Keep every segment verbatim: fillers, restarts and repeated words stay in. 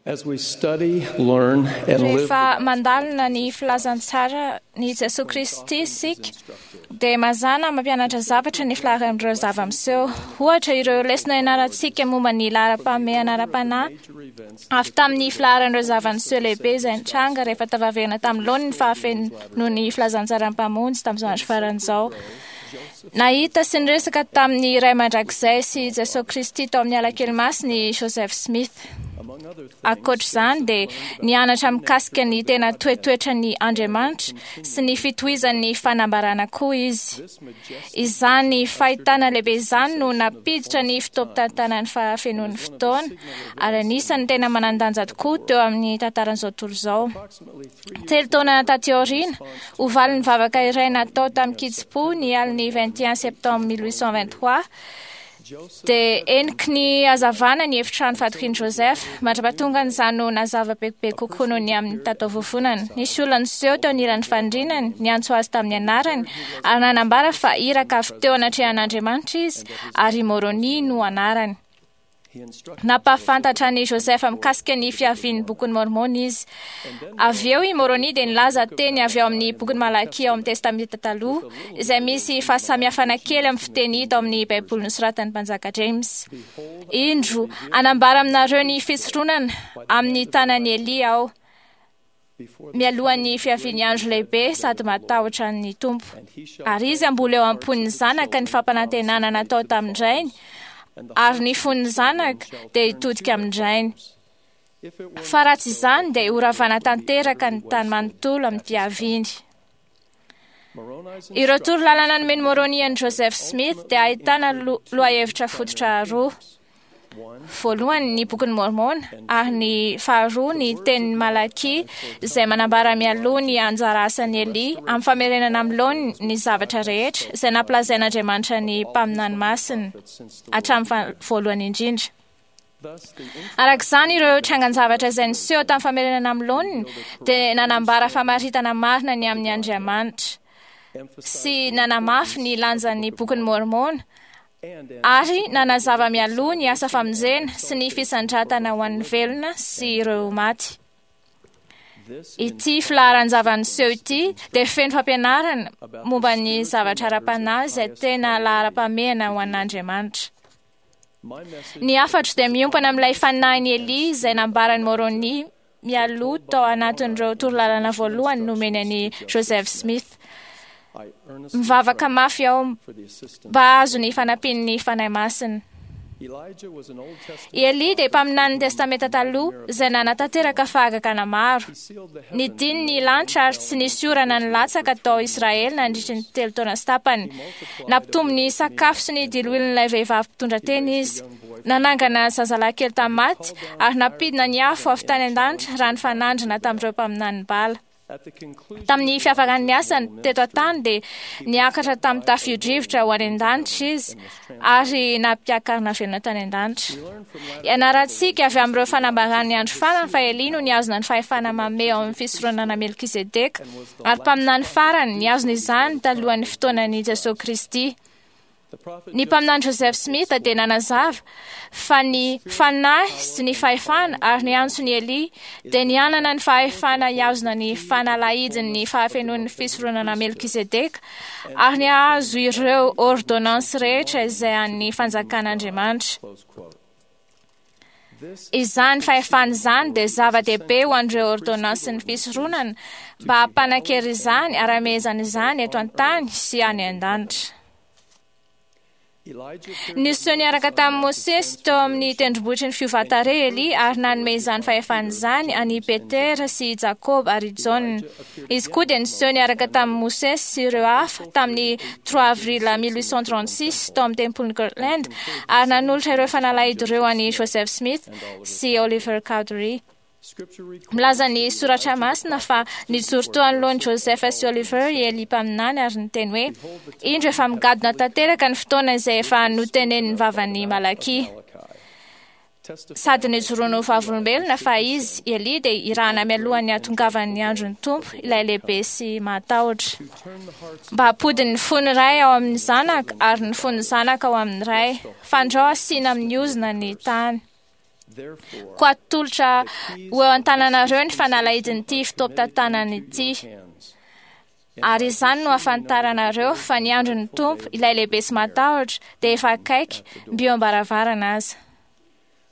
As we study, learn, and live Rehefa mandalina ny filazantsara ny Jesoa Kristy isika dia mazàna mampianatra zavatra ny filaharan'ireo zava-miseho. Ohatra, ireo lesona ianarantsika momba ny laharam-pahamehana ara-panahy avy tamin'ny filaharan'ireo zava-niseho lehibe izay nitranga rehefa tafaverina tamin'ny laoniny ny fahafenoan'ny filazantsaran'ny Mpamonjy tamin'izao andro farany izao. Nahita sy niresaka tamin'ny Ray Mandrakizay sy Jesoa Kristy tao amin'ny alakely masina i Joseph Smith. Ankoatra izany dia nianatra mikasika ny tena toetoetran'ny Andriamanitra sy ny fitohizan'ny fanambarana koa izy. Izany fahitana lehibe izany no nampiditra ny fotoam-pitantanan'ny fahafenoan'ny fotoana ary anisan'ny tena manan-danja tokoa teo amin'ny tantaran'izao tontolo izao. Telo taona taty aoriana, ho valin'ny vavaka iray natao tamin'ny kitsim-po ny alin'ny vingt et un septembre mille huit cent vingt-trois, dia heniky ny hazavana ny efitrano fatorian'i Joseph. Mandra-pahatongan'izany no nazava bebe kokoa noho ny amin'ny tataovovonana. Nisy olona niseho teo anilan'ny fandrinany, niantso azy tamin'ny anarany ary nanambara fa iraka avy teo anatrehan'Andriamanitra izy ary Moroni no anarany. Nampahafantatra an'i Joseph mikasika ny fiavian'ny bokin'i Mormon izy. Avy eo i Moroni dia nilaza teny avy ao amin'ny bokin'i Malakia ao amin'ny Testamenta Taloha, izay misy fahasamihafana kely amin'ny fiteny hita ao amin'ny Baiboly nosoratan'ny mpanjaka James. Indro, hanambara aminareo ny fisoronana amin'ny tanan'i Elia aho, mialohan'ny fiavian'ny andro lehibe sady matahotra ny Tompo. Ary izy hamboly eo am-pon'ny zanaka ny fampanantenana natao tamin-drainy, ary ny fon'ny zanaka dia hitodika amin-drainy. Fa raha tsy izany dia horavana tanteraka ny tany manontolo amin'ny fiaviany. Ireo toro lalana nomen'i Moroni an'i Joseph Smith dia ahitana lohahevitra fototra roa. Voalohany ny bokin'i Mormon ary ny faharoa ny tenin'i Malakia izay manambara mialoha ny anjara asan'i Elia amin'ny famerenana amin'ny laoniny ny zavatra rehetra izay nampilazain'Andriamanitra ny mpaminany masina hatramin'ny voalohany indrindra. Araka izany, ireo trangan-javatra izay niseho tamin'ny famerenana amin'ny laoniny dia nanambara famaritana marina ny amin'ny Andriamanitra sy nanamafy ny lanjan'ny bokin'i Mormon ary nanazava mialoha ny asa famonjena sy ny fisandratana ho an'ny velona sy ireo maty. Ity filaharan-java-niseho ity dia feno fampianarana momba ny zavatra ara-panahy izay tena laharam-pahamehana ho an'Andriamanitra. Ny hafatro dia miompana amin'ilay fanahin'i Elia izay nambaran'i Moroni mialoha tao anatin'ireo torolalana voalohany nomeny an'i Joseph Smith. Mivavaka mafy aho mba hahazo ny fanampian'ny Fanahy Masina. I Elia dia mpaminanin'ny Testamenta Taloha izay nanatanteraka fahagagana maro. Nidiny ny lanitra ary tsy nisy orana nilatsaka tao Israely nandritra ny telo taona sy tapany. Nampitombo ny sakafo sy ny diloilon'ilay vehivavy mpitondra tena izy. Nanangana zazalahy kely tamin'ny maty ary nampidina ny afo avy tany an-danitra raha nifanandrina tamin'ireo mpaminanin'i Bala. Tamin'ny fiafaran'ny asany teto an-tany dia niakatra tamin'ny tafio-drivotra ho any an-danitra izy ary nampiakarina velona tany an-danitra. Ianarantsika avy amin'ireo fanambaran'ny andro farany fa Elia no nihazona ny fahefana mamehy ao amin'ny fisoronana Melkizedeka ary mpaminany farany nihazona izany talohan'ny fotoanan'i Jesoa Kristy. Ny mpaminany Joseph Smith dia nanazava fa ny fanahy sy ny fahefana ary ny antson'i Elia dia nianana ny fahefana hihazona ny fanalahidin'ny fahafenoan'ny fisoronana Melkizedeka ary ny hahazo ireo ordonnance rehetra izay an'ny fanjakan'Andriamanitra. Izany fahefana izany dia zava-dehibe ho an'ireo ordonnansin'ny fisoronana mba hampanan-kery izany ary hamehezana izany eto an-tany sy any an-danitra. Niseho niaraka tamin'i Mosesy teo amin'ny tendrombohitry ny fiovan-tarehy Elia ary nanome izany fahefana izany an'i Petera sy i Jakoba ary i Jaona. Izy koa dia niseho niaraka tamin'i Mosesy sy ireo hafa tamin'ny trois avril mille huit cent trente-six tao amin'ny tempolin'i Kirtland ary nanolotra ireo fanalahidy ireo an'i Joseph Smith sy Oliver Cowdery. Milaza ny soratra masina fa nijoro teo anoloan'i Joseph sy Oliver i Elia mpaminany ary niteny hoe indro efa migadona tanteraka ny fotoana izay efa notenenin'ny vavan'i Malakia. Sady nijoroany ho vavolombelona fa izy Elia dia irahana mialohan'ny hahatongavan'ny andron'ny Tompo ilay lehibe sy mahatahotra. Mba hampody ny fon'ny ray ao amin'ny zanaka ary ny fon'ny zanaka ao amin'ny ray, fandrao asiana amin'ny ozona ny tany. Koa atolotra ho eo an-tananareo ny fanalahidin'ity fotoam-pitantanana ity. Ary izany no ahafantaranareo fa ny andron'ny Tompo, ilay lehibe sy matahotra, dia efa akaiky, mby eo am-baravarana aza.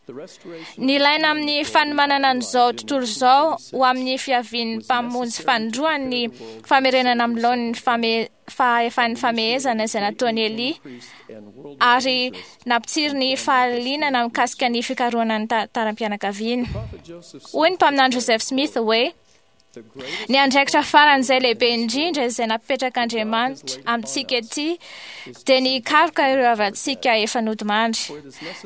Ny ilaina amin'ny fanomanana an'izao tontolo izao ho amin'ny fiavian'ny mpamonjy fanindroany ny famerenana amin'ny laoniny fame- fahefan'ny famehezana izay nataon'i Elia, ary nampitsiry ny fahalianana mikasika ny fikarohana ny tantaram-pianakaviana. Hoy ny mpaminany Joseph Smith hoe: "Ny andraikitra faran'izay lehibe indrindra izay napetrak'Andriamanitra amintsika ety dia ny hikaroka ireo havantsika efa nodimandry.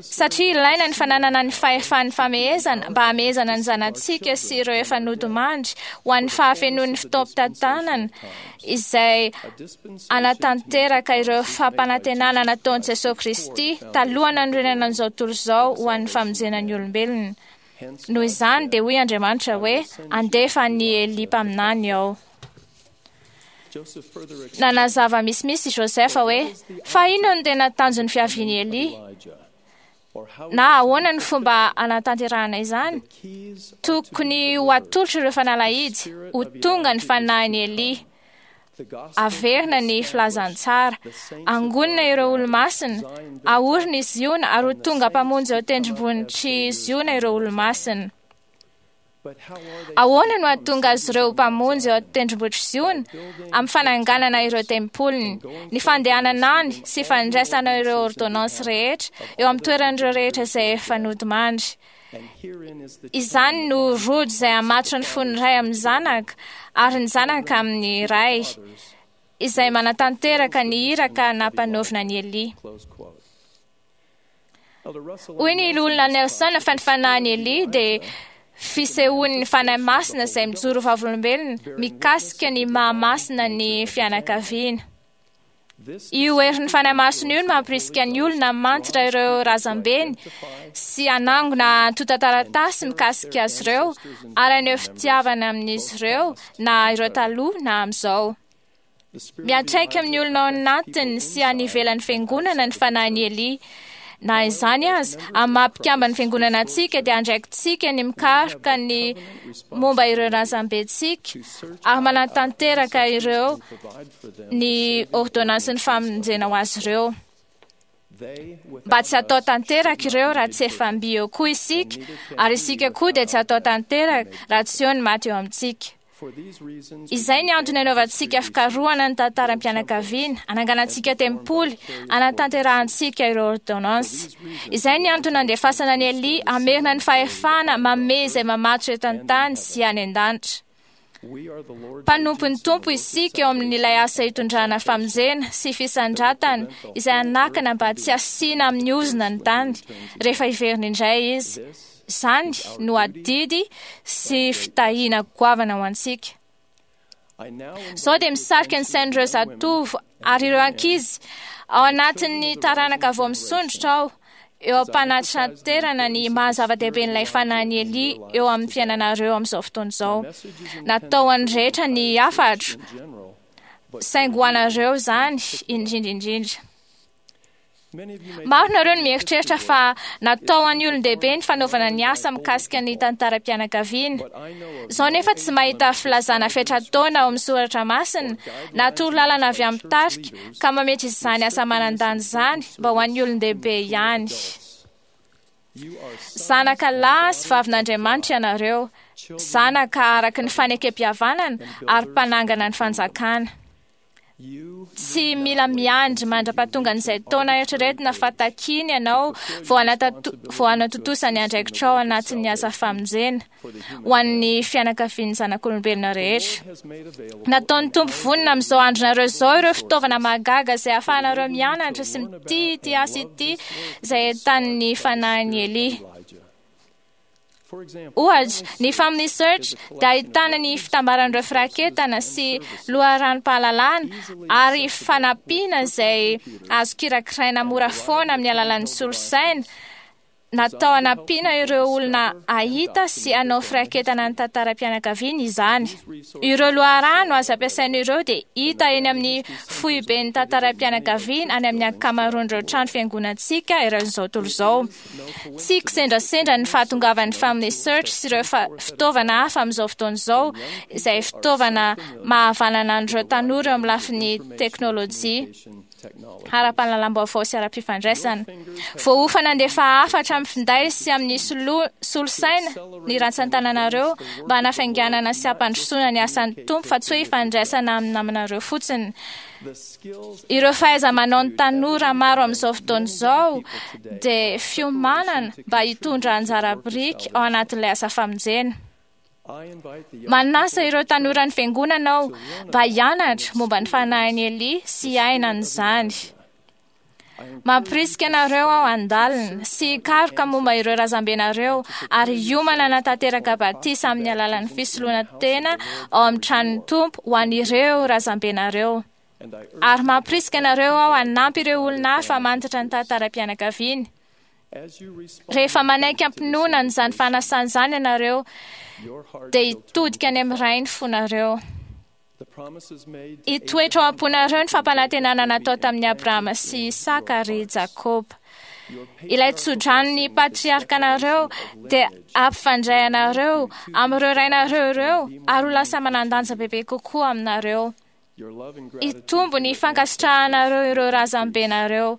Satria ilaina ny fananana ny fahefan'ny famehezana mba hamehezana ny zanatsika sy ireo efa nodimandry ho an'ny fahafenoan'ny fotoam-pitantanana izay anatanteraka ireo fampanantenana nataon'i Jesosy Kristy talohan'ny nanorenana an'izao tontolo izao ho an'ny famonjena ny olombelona. Noho izany dia hoy Andriamanitra hoe: andefa an'i Elia mpaminany aho." Nanazava misimisy i Joseph hoe: fa inona no tena tanjon'ny fiavian'i Elia? Na ahoana ny fomba anatanterahana izany? Tokony ho atolotra ireo fanalahidy, ho tonga ny fanahin'i Elia. Averina ny filazantsara, angonina ireo olomasina, aorina i Ziona ary ho tonga mpamonjy eo tendrombohitr'i Ziona ireo olomasina. Ahoana no hahatonga azy ireo mpamonjy eo tendrombohitr'i Ziona? Amin'ny fananganana ireo tempoliny, ny fandehanana any sy fandraisana ireo ordonnances rehetra eo amin'ny toeran'ireo rehetra izay efa nodimandry. Izany no rojo izay hamatotra ny fon'ny ray amin'ny zanaka ary ny zanaka amin'ny ray, izay manatanteraka ny iraka nampanaovina an'i Elia. Hoy ny loholona Nelson fa ny fanahin'i Elia dia fisehoan'ny Fanahy Masina izay mijoro vavolombelona mikasika ny mahamasina ny fianakaviana. Io herin'ny Fanahy Masina io no mampirisika ny olona mantra ireo razambeny sy hanangona antontan-taratasy mikasika azy ireo ary haneho fitiavana amin'izy ireo na ireo taloha na amin'izao. Miantraika amin'ny olona ao anatiny sy any ivelan'ny fiangonana ny fanahin'i Elia. Na izany aza, amin'ny maha mpikamban'ny fiangonana antsika dia andraikitsika ny mikaroka ny momba ireo razambentsika ary manatanteraka ireo ny ordonnansin'ny famonjena ho azy ireo. Mba tsy atao tanteraka ireo raha tsy efa mby eo koa isika, ary isika koa dia tsy atao tanteraka raha tsy eo ny maty eo amintsika. Izay ny antony anaovantsika fikarohana ny tantaram-pianakaviana, ananganantsika tempoly, anatanterahantsika ireo ordonnances. Izay ny antony andefasana an'i Elia hamerina ny fahefana mamehy izay mamatotra eto an-tany sy any an-danitra. Mpanompon'ny Tompo isika eo amin'ilay asa hitondrana famonjena sy fisandratana izay hanakana mba tsy hasiana amin'ny ozona ny tany rehefa hiverina indray izy. Izany no adidy sy fitahiana goavana ho antsika. Izao dia misarika ny sain'ireo zatovo ary ireo ankizy ao anatin'ny taranaka vao misondrotra aho eo am-panatraterana ny maha zava-dehiben'ilay fanahin'i Elia eo amin'ny fiainanareo amin'izao fotoana izao. Natao an'ny rehetra ny hafatro, saingy ho anareo izany indrindra indrindra. Maro nareo no mieritreritra fa natao an'ny olon-dehibe ny fanaovana ny asa mikasika ny tantaram-pianakaviana. Izao nefa tsy mahita filazana fetra-taona ao amin'ny soratra masina na torolalana avy amin'ny tarika ka mametra izany asa manan-danja izany mba ho an'ny olon-dehibe ihany. Zanaka lahy sy vavin'Andriamanitra ianareo, zanaka araka ny fanekem-pihavanana ary mpanangana ny fanjakana. Tsy mila miandry mandra-pahatonga an'izay taona eritreretina fa takiany ianao vao vao hanatontosa ny andraikitrao anatin'ny asa famonjena ho an'ny fianakavian'ny zanak'olombelona rehetra. Nataon'ny Tompo vonona amin'izao andronareo izao ireo fitaovana mahagaga izay ahafahanareo mianatra sy mitia ity asa ity izay entanin'ny fanahin'i Elia. Ohatra, ny Family Search dia ahitana ny fitambaran'ireo firaketana sy loharanom-pahalalana ary fanampiana izay azo kirakiraina mora foana amin'ny alalan'ny solosaina Natao hanampiana ireo olona hahita sy hanao firaketana ny tantaram-pianakaviana izany. Ireo loharano azo ampiasaina ireo dia hita eny amin'ny foiben'ny tantaram-pianakaviana any amin'ny ankamaroan'ireo trano fiangonantsika eran'izao tontolo izao. Tsy kisendrasendra ny fahatongavan'ny Family Search sy ireo fitaovana hafa amin'izao fotoana izao, izay fitaovana mahavanana an'ireo tanora eo amin'ny lafiny teknôlôjia, ara-pahalalam-baovao sy ara-pifandraisana. Voaofana handefa hafatra amin'ny finday sy amin'ny solosaina ny rantsan-tananareo mba hanafainganana sy hampandrosoana ny asan'ny Tompo, fa tsy hoe hifandraisana amin'ny namanareo fotsiny. Ireo fahaiza-manao ny tanora maro amin'izao fotoana izao dia fiomanana mba hitondra anjara biriky ao anatin'ilay asa famonjena. Manasa ireo tanora ny fiangonana aho mba hianatra momba ny fanahin'i Elia sy hiaina an'izany. Mampirisika anareo aho handalina sy hikaroka momba ireo razambenareo ary hiomana hanatanteraka batisa amin'ny alalan'ny fisoloana tena ao amin'ny tranon'ny Tompo ho an'ireo razambenareo. Ary mampirisika anareo aho hanampy ireo olona hafa hamantatra ny tantaram-pianakaviany. Rehefa manaiky am-pinoana an'izany fanasana izany ianareo, dia hitodika any amin'ny Ray ny fonareo. Hitoetra ao am-ponareo ny fampanantenana natao tamin'i Abrahama sy Isaka ary Jakoba. Ilay tsodranon'ny patriarkanareo dia hampifandray anareo amin'ireo rainareo ireo ary ho lasa manan-danja bebe kokoa aminareo. Hitombo ny fankasitrahanareo ireo razambenareo.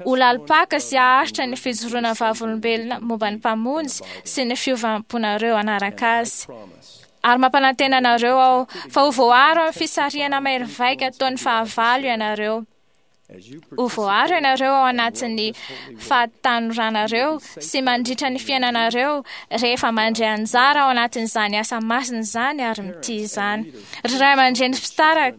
Ho lalim-paka sy haharitra ny fijoroana vavolombelona momba ny Mpamonjy sy ny fiovam-ponareo hanaraka azy. Ary mampanantena anareo aho fa ho voaaro amin'ny fisarihana mahery vaika ataon'ny fahavalo ianareo. Ho voaaro ianareo ao anatin'ny fahatanoranareo sy mandritra ny fiainanareo rehefa mandray anjara ao anatin'izany asa masina izany ary mitia izany. Ry ray aman-dreny mpitarika,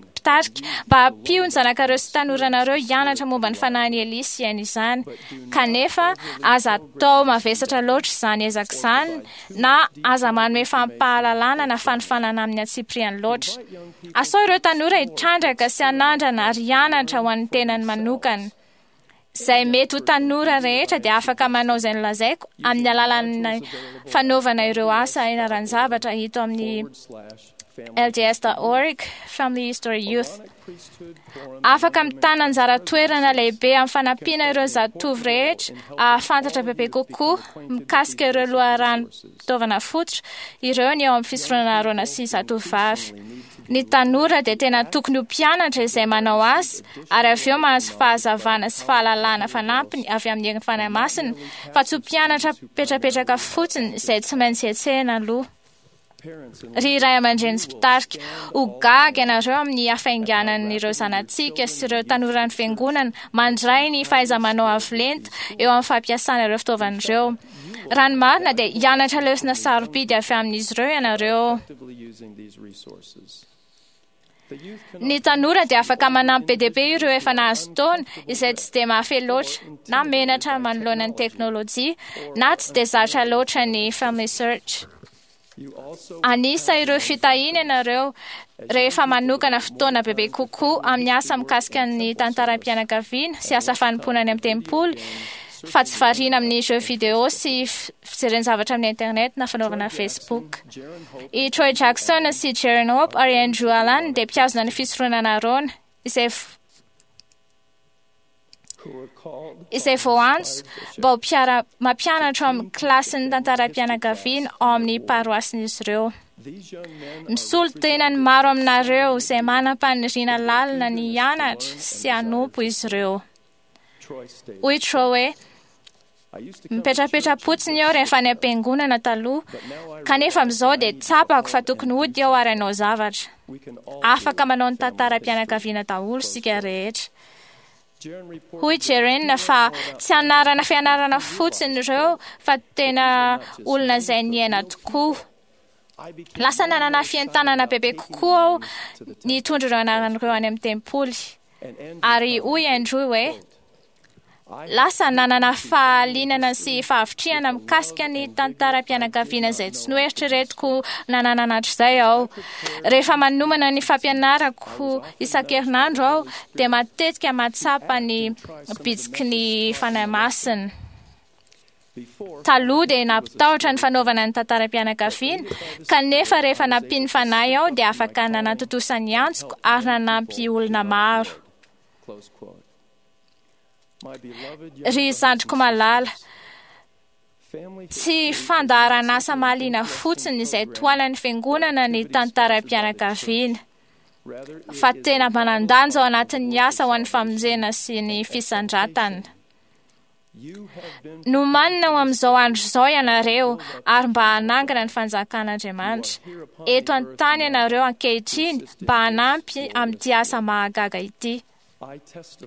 mba ampio ny zanakareo sy tanoranareo hianatra momba ny fanahin'i Elia sy hiaina izany. Kanefa aza atao mavesatra loatra izany ezaka izany na aza manome fampahalalana na fanofanana amin'ny antsipiriany loatra. Asao ireo tanora hitrandraka sy hanandrana ary hianatra ho an'ny tenany manokana. Izay mety ho tanora rehetra dia afaka manao izay nolazaiko amin'ny alalan'ny fanaovana ireo asa ianaran-javatra hita amin'ny L D S dot org Family History Youth. Afaka mitana anjara toerana lehibe amin'ny fanampiana ireo zatovo rehetra ahafantatra bebe kokoa mikasika ireo loharanom-pitaovana fototra ireo ny eo amin'ny fisoronana Arona sy zatovovavy. Ny tanora dia tena tokony ho mpianatra izay manao asa ary avy eo mahazo fahazavana sy fahalalana fanampiny avy amin'ny herin'ny Fanahy Masina, fa tsy ho mpianatra mipetrapetraka fotsiny izay tsy maintsy hetsehina aloha. Ry ray aman-dreny sy mpitarika, ho gaga ianareo amin'ny hafainganan'ireo zanatsika sy ireo tanoran'ny fiangonana mandray ny fahaiza-manao avo lenta eo amin'ny fampiasana ireo fitaovana ireo. Raha ny marina dia hianatra lesona sarobidy avy amin'izy ireo ianareo. Ny tanora dia afaka manampy be dia be ireo efa nahazo taona izay tsy dia mahafehy loatra na menatra manoloana ny teknôlôjia na tsy dia zatra loatra ny Family Search. Anisa ireo fitahiana ianareo rehefa manokana fotoana bebe kokoa amin'ny asa mikasika ny tantaram-pianakaviana sy asa fanompoana any amin'ny tempoly, fa tsy variana amin'ny jeux vidéo sy fijerena zavatra amin'ny internet na fanaovana Facebook. I Troy Jackson sy Jaren Hope ary Andrew Allan dia mpihazona ny fisoronana Arona, izay izay voantso mba ho mpiara mampianatra ao amin'ny kilasin'ny tantaram-pianakaviana ao amin'ny paroasin'izy ireo. Misolo tena ny maro aminareo izay manam-paniriana lalina ny hianatra sy hanompo izy ireo. Hoy Troy hoe, mipetrapetra-potsiny eo rehefa any am-piangonana taloha, kanefa amin'izao dia tsapako fa tokony hody eo ary hanao zavatra. Afaka manao ny tantaram-pianakaviana daholo isika rehetra. Hoy Jaren fa tsy anarana fianarana fotsiny ireo fa tena olona izay niaina tokoa. Lasa nanana fientanana bebe kokoa aho nitondra ireo anarana ireo any amin'ny tempoly. Ary hoy Andrew hoe, lasa nanana fahalinana sy fahavitrihana mikasika ny tantaram-pianakaviana izay tsy noeritreretiko nanana hatrizay aho. Rehefa manomana ny fampianarako isan-kerinandro aho dia matetika mahatsapa ny bitsiky ny Fanahy Masina. Taloha dia nampitahotra ny fanaovana ny tantaram-pianakaviana, kanefa rehefa nampian'ny Fanahy aho dia afaka nanatontosa ny antsoko ary nanampy olona maro. Ry zandriko malala, tsy fandaharan'asa mahaliana fotsiny izay tohanan'ny fiangonana ny tantaram-pianakaviana, fa tena manan-danja ao anatin'ny asa ho an'ny famonjena sy ny fisandratana. Nomanina ho amin'izao andro izao ianareo ary mba hanangana ny fanjakan'Andriamanitra. Eto an-tany ianareo ankehitriny mba hanampy amin'ity asa mahagaga ity.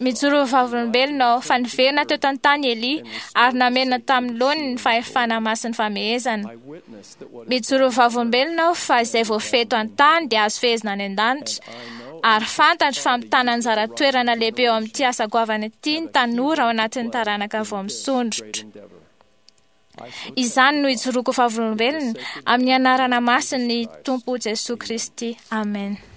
Mijoro ho vavolombelona aho fa niverina teo an-tany Elia ary namerina tamin'ny laoniny ny fahefana masin'ny famehezana. Mijoro ho vavolombelona aho fa izay voafehy eto an-tany dia azo fehezina any an-danitra. Ary fantatro fa mitana anjara toerana lehibe eo amin'ity asa goavana ity ny tanora ao anatin'ny taranaka vao misondrotra. Izany no ijoroako vavolombelona amin'ny anarana masin'ny Tompo Jesoa Kristy. Amen.